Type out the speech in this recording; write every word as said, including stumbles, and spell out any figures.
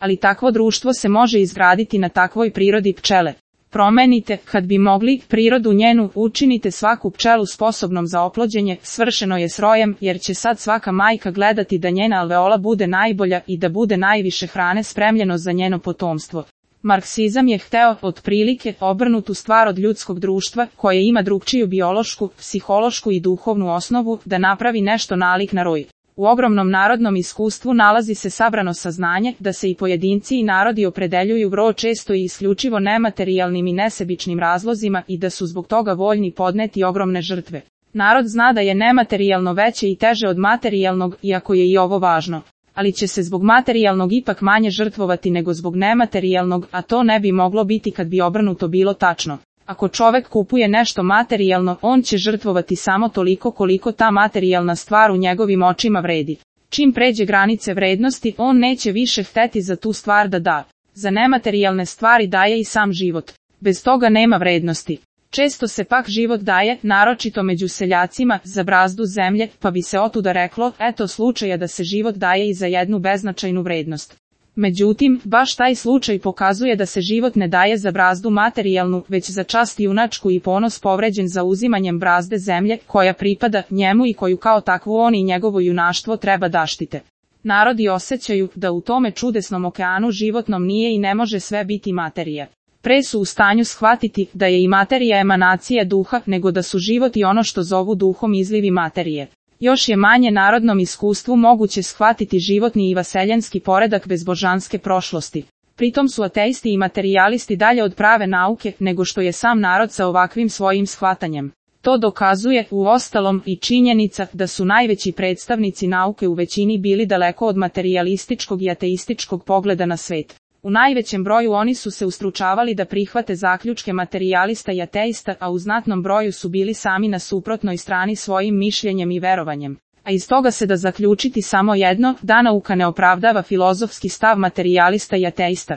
ali takvo društvo se može izgraditi na takvoj prirodi pčele. Promenite, kad bi mogli, prirodu njenu, učinite svaku pčelu sposobnom za oplođenje, svršeno je s rojem, jer će sad svaka majka gledati da njena alveola bude najbolja i da bude najviše hrane spremljeno za njeno potomstvo. Marksizam je hteo, otprilike, obrnutu stvar od ljudskog društva, koje ima drugčiju biološku, psihološku i duhovnu osnovu, da napravi nešto nalik na roj. U ogromnom narodnom iskustvu nalazi se sabrano saznanje da se i pojedinci i narodi opredeljuju vrlo često i isključivo nematerijalnim i nesebičnim razlozima i da su zbog toga voljni podneti ogromne žrtve. Narod zna da je nematerijalno veće i teže od materijalnog, iako je i ovo važno. Ali će se zbog materijalnog ipak manje žrtvovati nego zbog nematerijalnog, a to ne bi moglo biti kad bi obrnuto bilo tačno. Ako čovek kupuje nešto materijalno, on će žrtvovati samo toliko koliko ta materijalna stvar u njegovim očima vredi. Čim pređe granice vrednosti, on neće više hteti za tu stvar da da. Za nematerijalne stvari daje i sam život. Bez toga nema vrednosti. Često se pak život daje, naročito među seljacima, za brazdu zemlje, pa bi se otuda reklo, eto slučaja da se život daje i za jednu beznačajnu vrednost. Međutim, baš taj slučaj pokazuje da se život ne daje za brazdu materijalnu, već za čast junačku i ponos povređen za uzimanjem brazde zemlje, koja pripada njemu i koju kao takvu on i njegovo junaštvo treba da štite. Narodi osjećaju da u tome čudesnom okeanu životnom nije i ne može sve biti materija. Pre su u stanju shvatiti da je i materija emanacija duha, nego da su život i ono što zovu duhom izlivi materije. Još je manje narodnom iskustvu moguće shvatiti životni i vaseljenski poredak bez božanske prošlosti. Pritom su ateisti i materijalisti dalje od prave nauke, nego što je sam narod sa ovakvim svojim shvatanjem. To dokazuje, uostalom, i činjenica da su najveći predstavnici nauke u većini bili daleko od materijalističkog i ateističkog pogleda na svet. U najvećem broju oni su se ustručavali da prihvate zaključke materijalista i ateista, a u znatnom broju su bili sami na suprotnoj strani svojim mišljenjem i verovanjem. A iz toga se da zaključiti samo jedno, da nauka ne opravdava filozofski stav materijalista i ateista.